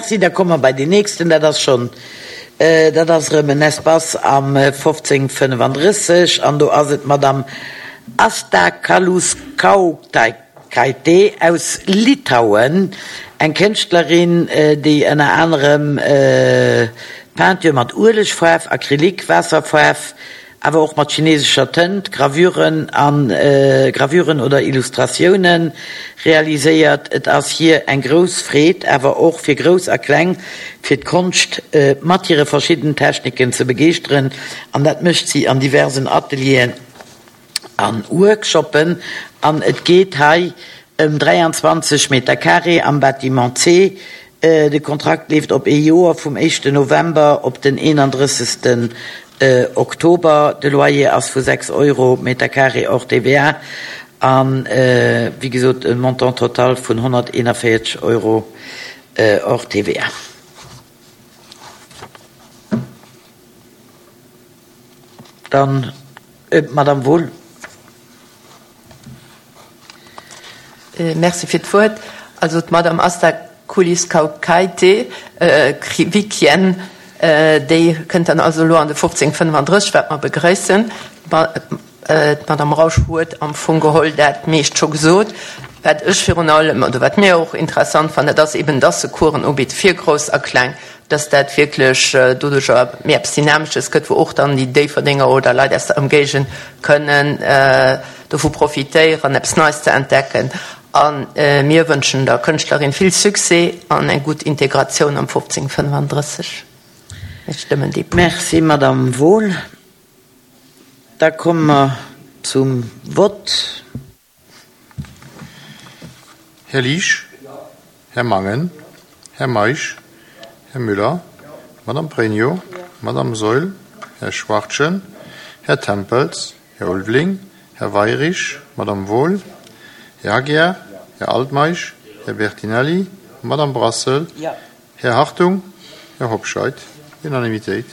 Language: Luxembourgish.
Merci. Da komme mer bei deen nächsten. Dat ass schonn, dat ass erëm en Espace am 1535 an do ass et d'Madame Asta Kaluskaukaitė aus Litauen, eng Kënschtlerin, déi ënner anerem Peinture mat Uelegfaarf, Acrylique, Waasserfaarf, awer och mat chinesescher Tënt, Gravuren an Gravuren oder Illustratioune realiséiert. Et ass hir eng grouss Freed, awer och fir Grouss a Kleng, fir d'Konscht mat hire verschiddenen Techniken ze begeeschteren an dat mécht si an diversen Atelieren a Workshoppen. An et geet hei ëm 23 Meter carré am Bâtiment C. De Kontrakt leeft op ee Joer, vum éischten November op den 31. Oktober. De Loyer ass vu 6 Euro Meter carré hors TVA an, wéi gesot, e Montant total vun 141 Euro hors TVA. Dann d'Madame Wohl. Merci fir d'Wuert. Also d'Madame Asta Kuliskaukaite Krivikien, déi kënnt dann also elo an de 1535, wat mer begrëissen. D'Madame Rausch huet am Fong geholl dat meescht scho gesot. Wat ech virun allem, oder wat mir och interessant fannen, dat ass eben, dass se Coursen ubitt fir Grouss a Kleng, dass dat wierklech doduercher méi eppes Dynamesches gëtt, wou och dann déi Déifferdenger oder Leit aus der Ëmgéigend kënnen dovu profitéieren, eppes Neies ze entdecken. A mir wënschen der Kënschtlerin vill Succès an eng gutt Integratioun am 1535. Mir stëmmen dee Punkt. Merci, Madame Wohl. Da komme mer zum Vott. Här Liesch, Här Mangen, Här Meisch, Här Müller, Madame Pregno, Madame Saeul, Här Schwachtgen, Här Tempels, Här Ulveling, Här Weyrich, Madame Wohl, Här Aguiar, Här Altmeisch, Här Bertinelli, Madame Brassel, Här Hartung, Här Hobscheit. Unanimitéit.